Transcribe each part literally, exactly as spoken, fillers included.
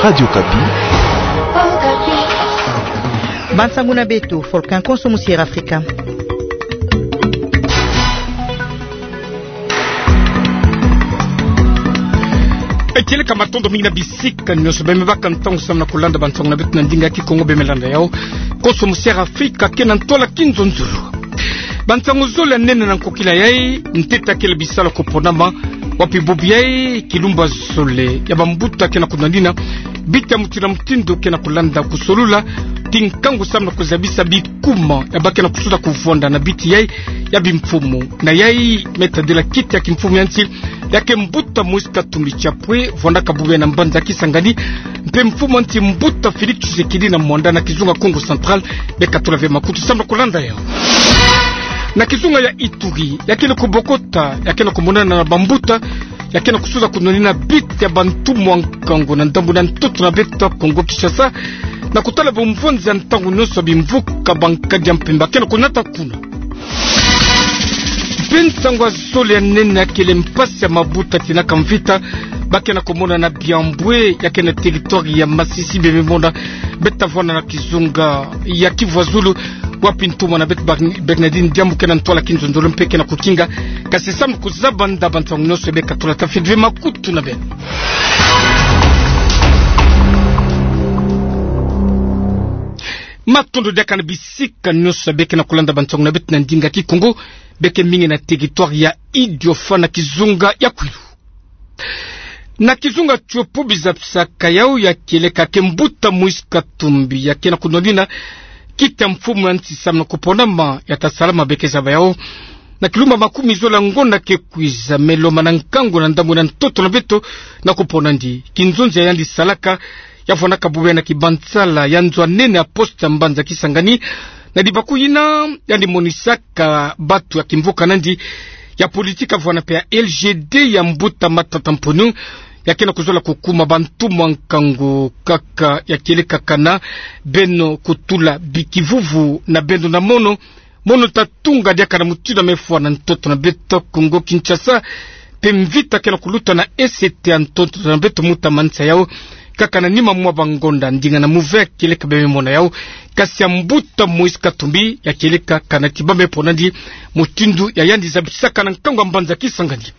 Radio Okapi. Bansangu na beto, Volcan konso musi'era Afrika. Eteleka, matondo mingi na bisika nyonso bemebaka ntangu samu na kulanda bansangu na beto na ndinga kikongo. Bemelanda yau, konso musi'era Afrika ke na ntwala kinzonzolo. Bansangu zole ya nene na nkokila yai, ntete kele bisalu kuponama, wapi bubu yai, kilumbu zole ya bambuta ke na kunwanina, biti ya mutindu na mutindu ke na kulanda kusolula, ti nkangu samu na kuzabisa bikuma ya ba ke na kusuza kuvwanda na biti yai ya bimfumu. Na yai, me tadila kiti ya kimfumu ya nsi, ya ke mbuta Moïse Katumbi Chapwe, vwandaka bubu yai na mbanza Kisangani, mpe mfumu ya nsi mbuta Félix Tshisekedi na mwanda na kizunga Kongo Central, beka tula ve makutu samu na kulanda yau. Na kizunga ya Ituri, ya kele kubokota, ya ke na kumonana na bambuta, ya ke na kusuza kunwanina biti ya bantumwa nkangu na ndambu na ntoto na beto Kongo Kinshasa, na kutala bumvonzi ya ntangu nyonso bimvuka bankadi ya mpemba ke na kunata kuna. Mpe nsangu ya zole ya nene ya kele mpasi ya mabuta tinaka mvita, ba ke na kumonana na Biambwe, ya ke na territoire ya Masisi, bememona, beta vwanda na kizunga ya Kivu ya Zulu, wapi ntumwa na beto Bern-, Bernardine Diambu ke na ntwala kinzonzolo mpe ke na kukinga, kasi samu kuzaba nda bansangu nyonso beka tula, tafidi ve makutu na beno. Matondo diaka na bisika nyonso beke na kulanda bansangu na beto na ndinga kikongo, beke mingi na territoire ya Idiofa na kizunga ya Kwilu. Na kizunga Tshopo, bizabisaka yau ya kieleka ke mbuta Moïse Katumbi ya ke na kunwanina kiti ya mfumu ya nsi samu na kuponama, ya ta salama, beke zaba yau na kilumbu makumi zole ya ngonda ke kwiza, me lomana nkangu na ndambu na ntoto na beto na kupona ndi kinzonzi ya yandi salaka, ya vwandaka bubu yai na kibansala ya nzo ya nene ya poste ya mbanza Kisangani. Na dibaku yina, yandi monisaka batu ya kimvuka na ndi, ya politique vwanda mpe ya L G D ya mbuta Matata Mponyo, ya ke na kuzola kukuma bantumwa nkangu kaka ya kieleka kana beno kutula bikivuvu na beno na mono, mono ta tunga diaka na mutindu ya mefwa na ntoto na beto Kongo Kinshasa, mpe mvita ke na kuluta na E C T ya ntoto na beto mu ta manisa yau, kaka na nima mwa bangonda ndinga na muve ya kieleka bememona yau, kasi ya mbuta Moïse Katumbi ya kieleka kana ti ba mepona ndi, mutindu ya yandi zabisaka na nkangu ya mbanza Kisangani.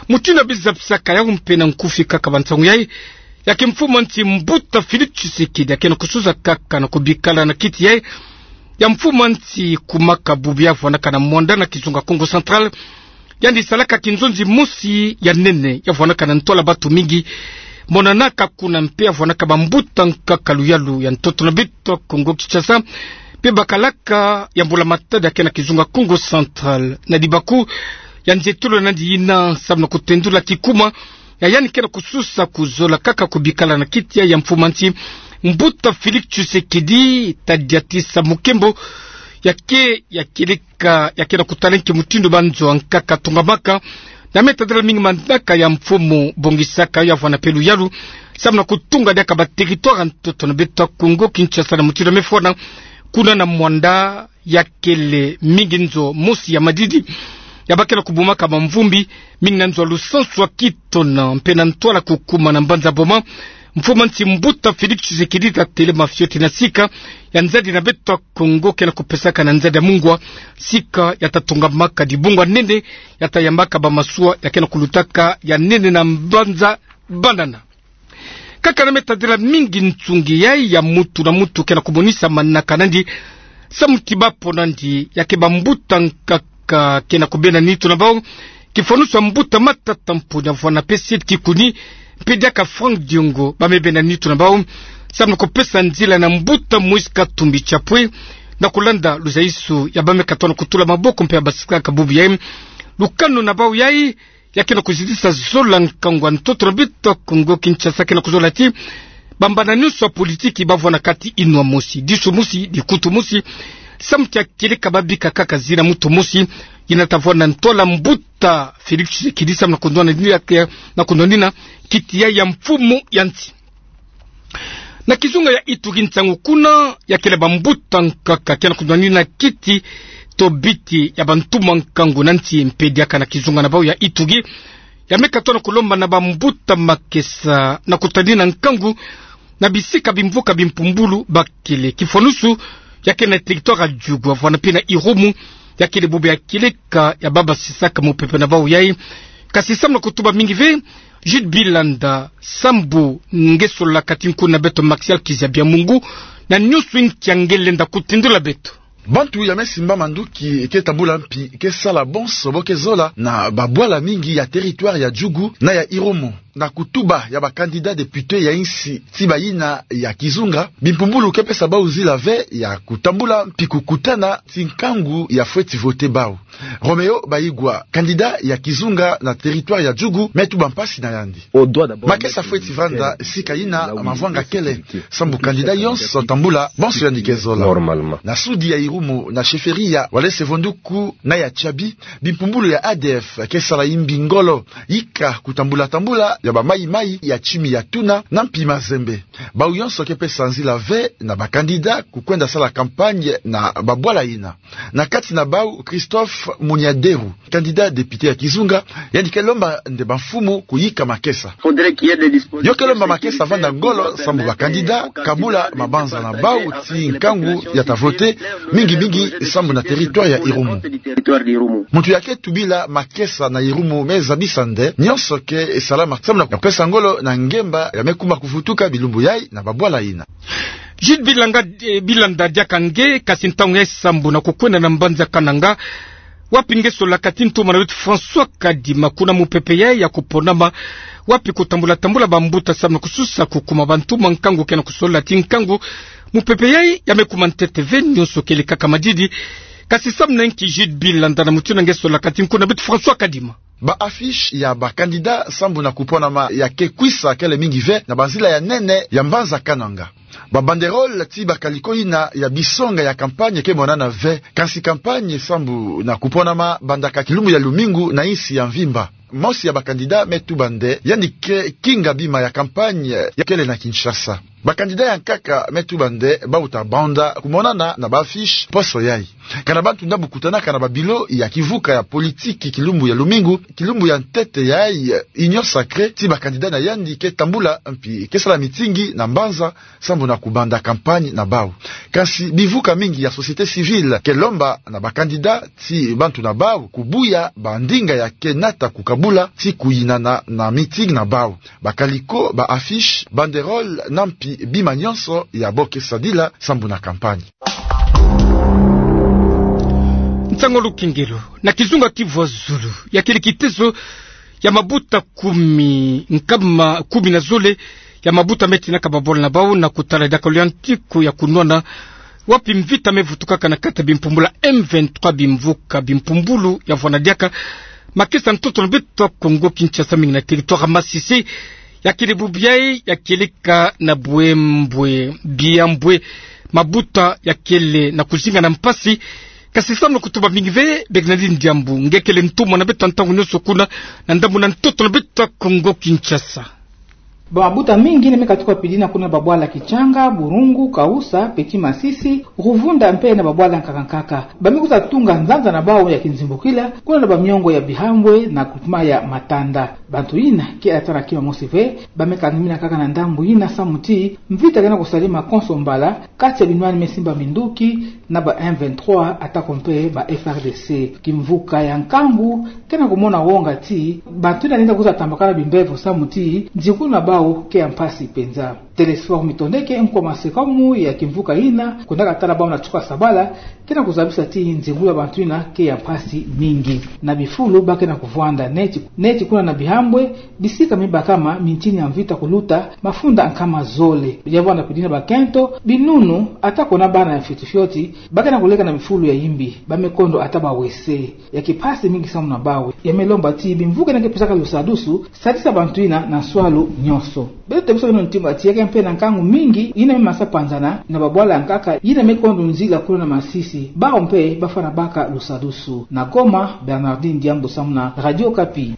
Mutindu ya bizabisaka yau mpe na nkufi kaka bansangu yai, ya ke mfumu ya nsi mbuta Félix Tshisekedi ya ke na kusuza kaka na kubikala na kiti yai ya mfumu ya nsi, kumaka bubu ya vwandaka na mwanda na kizunga Kongo Central, yandi salaka kinzonzi mosi ya nene ya vwandaka na ntwala batu mingi monanaka kuna, mpe ya vwandaka bambuta nkaka luyalu ya ntoto na beto Kongo Kinshasa, mpe bakalaka ya mbula matadi ya ke na kizunga Kongo Central. Na dibaku ya nzietolo na ndi yina samu na kutendula kikuma ya yandi ke na kususa kuzola kaka kubikala na kiti yai ya mfumu ya nsi, mbuta Félix Tshisekedi ta diatisa mukembo ya ke, ya kieleka, ya ke na kutala nki mutindu banzo ya nkaka tungamaka, na me tadila mingi manaka ya mfumu bongisaka yau ya vwanda mpe luyalu samu na kutunga diaka ba territoire ya ntoto na beto Kongo Kinshasa na mutindu ya mefwa na kuna na mwanda ya kele mingi nzo mosi ya madidi ya ba ke na kubumaka bamvumbi, mingi na nzo ya lusansu ya Kitona mpe na ntwala kukuma na mbanza Boma. Mfumu ya nsi mbuta Félix Tshisekedi ta telema fioti na sika ya nzadi na beto Kongo ke na kupesaka na nzadi ya mungwa, sika ya ta tungamaka dibungu ya nene ya ta yambaka bamasuwa ya ke na kulutaka ya nene na mbanza Banana. Kaka na me tadila mingi nsungi yai ya mutu na mutu ke na kumonisa manaka na ndi samu ti ba pona ndi ya ke bambuta nkaka ke na kubenda nitu na bau, kifwanusu ya mbuta Matata Mponyo ya vwanda mpe Seth Kikuni, mpe diaka Franck Diongo, ba me benda nitu na bau samu na kupesa nzila na mbuta Moïse Katumbi Chapwe na kulanda luzaisu ya ba me katono kutula maboko mpe ya basikaka bubu yai. Lukanu na bau yai ya ke na kuzitisa zola nkangu ya ntoto na beto Kongo Kinshasa ke na kuzola ti bambana nyonso ya politiki ba vwanda kati inwa mosi, disu mosi, dikutu mosi, samu ti ya kieleka ba bika kaka zina mutu mosi, yina ta vwanda ntwala mbuta Félix Tshisekedi samu na kunwanina, na kunwanina kiti yai ya mfumu ya nsi. Na kizunga ya Ituri, nsangu kuna ya kele bambuta nkaka ke na kunwanina kiti to biti ya bantumwa nkangu na nsi, mpe diaka na kizunga na bau ya Ituri, ya me katoa na kulomba na bambuta makesa na kutadina nkangu na bisika bimvuka bimpumbulu bakele. Kifwanusu ya kele na territoire ya Djugu, avwanda mpe na Irumu, ya kele bubu ya kieleka ya baba sisaka mupepe na bau yai. Kasi samu na kutuba mingi ve, Jude Bilanda, sambu nge solola kati nkuna na beto Maxial Kizabia Mungu, na nyunsu nkia nge lenda kutindula beto? Bantu ya me simba manduki ke tambula mpi ke sala bonso bo ke zola na babwala mingi ya territoire ya Djugu na ya Irumu. Na kutuba ya ba candidat député ya insi ti bayina ya kizunga, bimpumbulu ke pesa bau nzila ve ya kutambula mpi kukutana ti nkangu ya fweti voter bau. Roméo Baigwa, candidat ya kizunga na territoire ya Djugu, me tuba mpasi na yandi. Makesa fweti vanda sika yina mavwanga kele, sambu candidat yonso tambula bonso yandi ke zola. Na sudi ya Irumu, na chefferie ya Walese Vonduku na ya Tiabi, bimpumbulu ya A D F ke sala imbi ngolo, yika kutambula tambula ya ba maï-maï ya Timi ya Tuna na mpi Mazembe. Bau yonso ke pesa nzila ve na ba candidat kukwenda sala campagne na babwala yina. Na kati na bau, Christophe Munyaderu, candidat député ya kizunga, yandi ke lomba nde bamfumu kuyika makesa. Yo ke lomba makesa vanda ngolo, sambu ba candidat kabula mabanza na bau ti nkangu ya ta voter, mingi mingi sambu na territoire ya Irumu. Muntu ya ke tubila makesa na Irumu me zabisa nde nyonso ke salama sambu na pesa ngolo na ngemba ya me kuma kuvutuka bilumbu yai na babwala yina. Jude Bilanga, eh, Bilanda, diaka nge, kasi ntangu yai sambu na kukwenda na mbanza Kananga, wapi nge solola kati ntuma na beto François Kadima, kuna mupepe yai ya kuponama, wapi kutambula tambula bambuta sambu na kususa kukuma bantuma nkangu ke na kusolola ti nkangu, mupepe yai ya me kuma ntete ve, nyonso kele kaka madidi. Kasi samu na nki, Jude Bilanda, na mutindu nge solola kati nkuna na beto François Kadima? Ba affiche ya ba candidat sambu na kuponama ya ke kwisa kele mingi ve na banzila ya nene ya mbanza Kananga. Ba banderole ti ba kaliko yina ya bisonga ya campagne ke monana ve, kasi campagne sambu na kuponama bandaka kilumbu ya lumingu na insi ya mvimba. Mosi ya ba candidat me tuba nde yandi ke kinga bima ya campagne ya kele na Kinshasa. Ba candidat ya nkaka me tuba nde bau ta banda kumonana na ba affiche poso yai. Kana bantu nda bu kutanaka na ba bureau ya kivuka ya politiki kilumbu ya lumingu, kilumbu ya ntete yai, eh, union sacrée ti ba candidat na yandi ke tambula mpi ke sala mitingi na mbanza sambu na kubanda campagne na bau. Kasi bivuka mingi ya société civile ke lomba na ba candidat ti bantu na bau kubuya bandinga ya ke nata kukabula ti kuyinana na mitingi na bau. Ba kaliko, ba affiche, banderole na mpi bima nyonso ya bo ke sadila sambu na campagne. Nsangu lukengelo, na kizunga Kivu ya Zulu, ya kele kitezo ya mabuta kumi, nkama kumi na zole ya mabuta me tinaka babwala na bau na kutala diaka luyantiku ya kunwana, wapi mvita me vutukaka na kati ya bimpumbulu M vingt-trois, bimvuka bimpumbulu ya vwanda diaka makesa ntoto na beto Kongo Kinshasa, mingi na territoire Masisi. Ya kele bubu yai, ya kieleka na Bouemboué, Biamboué, mabuta ya kele na kuzinga na mpasi. Kasi samu na kutuba mingi ve, Bernardine Diambu, nge kele ntumwa na beto ntangu nyonso kuna na ndambu na ntoto na beto Kongo Kinshasa. Ba mabuta mingi yina me katuka pidina kuna babwala Kitshanga, Bourungu, Kaoussa, Petit Masisi, Rouvunda mpe na babwala nkaka nkaka. Ba me kwiza tunga nzanza na bau ya kinzimbukila kuna na bamiongo ya Bihambwe na groupement ya Matanda. Bantu yina ke ata na kima mosi ve, ba me kangamina kaka na ndambu yina samu ti mvita ke na kusalama konso mbala kati ya binwani me simba minduki na ba M vingt-trois, atako mpe ba F R D C. Kimvuka ya nkangu ke na kumona wonga ti bantu yina lenda kwiza tambakana bimbevo samu ti nzingulu na bau ke ya mpasi mpenza. Télésphore Mitondeke, nkwa masekamu ya kimvuka yina, kwendaka tala bau na nsuka sabala, ke na kuzabisa ti nzingulu ya bantu yina ke ya mpasi mingi. Na bifulu ba ke na kuvwanda neti, neti kuna na Bihambwe, bisika me bakama mintini ya mvita kuluta mafunda nkama zole. Ya vwanda pidina bakento, binunu, atako na bana ya fioti fioti, ba ke na kuleka na bifulu ya imbi, ba me kondo ata ba wese. Ya ke mpasi mingi samu na bau. Ya me lomba ti bimvuka yina ke pesaka lusadusu, sadisa bantu yina na nswalu nyonso. Beto tebisa beno ntima ti ya ke mpe na nkangu mingi yina me masa panzana na babwala nkaka yina me kondo nzila kuna na Masisi. Bau mpe ba fwana baka lusadusu. Na Goma, Bernardine Diambu samu na Radio Okapi.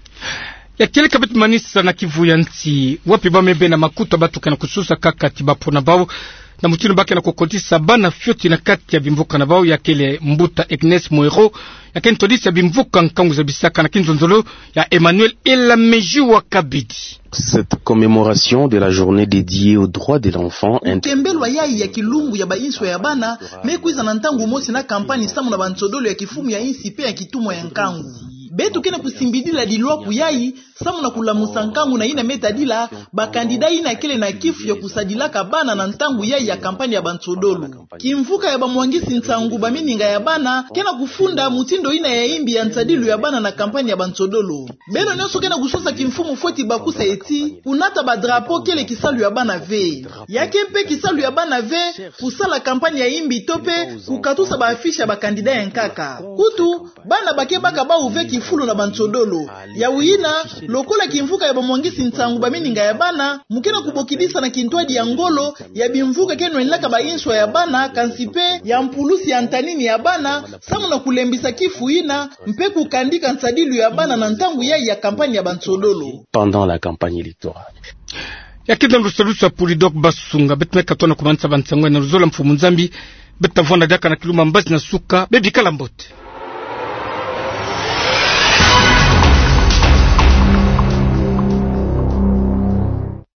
Ya kieleka beto manisa na Kivu ya nsi, wapi bamebe na makutu ya bato ke na kusosa kaka ti bapona bau na mutindu ba ke na kukotisa bana fioti na kati ya bimvuka na bau, ya kele mbuta Agnes Moero, ya ke ntwadisi ya bimvuka nkangu za bisaka na kinzonzolo ya Emmanuel Elamejiwa Kabidi. Cette commémoration de la journée dédiée aux droits de l'enfant int- Kembelwa yayi ya kilumbu ya ba inswa ya bana me kwiza na ntangu mosi na kampani samu na bansodolo ya kifumu ya insi pe ya kitumwa ya nkangu. Beto ke na kusimbidila dilwaku yayi samu na kulamusa nkangu na yina me tadila bakandida yina kele na kifu ya kusadilaka bana na ntangu yayi ya kampani ya bansodolo. Kimvuka ya bamwangisi nsangu ba mininga ya bana ke na kufunda mutindu yina ya imbi ya nsadilu ya bana na kampani ya bansodolo. Beno nyonso ke na kusosa kimfumu fweti bakusa ti kunata badrapo kele kisalu ya bana ve. Ya ke mpe kisalu ya bana ve kusala kampani ya imbi to mpe kukatusa ba affiche ya bakandida ya nkaka. Kutu, bana ba ke baka bau ve kifulu na bansodolo. Yawu yina, lokola kimvuka ya bamwangisi nsangu ba mininga ya bana, mu ke na kubokidisa na kintwadi ya ngolo ya bimvuka ke nwenaka ba inswa ya bana, kansi mpe ya mpulusi ya ntanini ya bana, samu na kulembisa kifu yina, mpe kukandika nsadilu ya bana na ntangu yayi ya kampani ya bansodolo. Pendant la campagne électorale. Ya ke nda lusalusu ya Polydor Basunga, beto me katoa na kumanisa bansangu na luzolo ya mfumu Nzambi. Beto ta vwanda diaka na kilumbu ya mbazi na suka, bebikala mbote.